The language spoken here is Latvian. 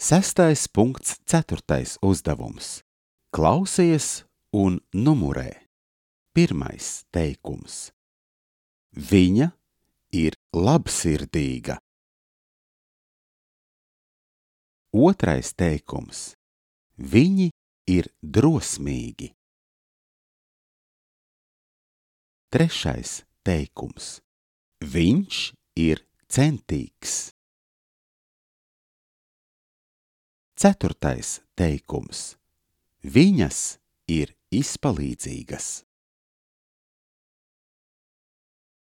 6.4. uzdevums. Klausies un numurē. Pirmais teikums. Viņa ir labsirdīga. Otrais teikums. Viņi ir drosmīgi. Trešais teikums. Viņš ir centīgs. Ceturtais teikums. Viņas ir izpalīdzīgas.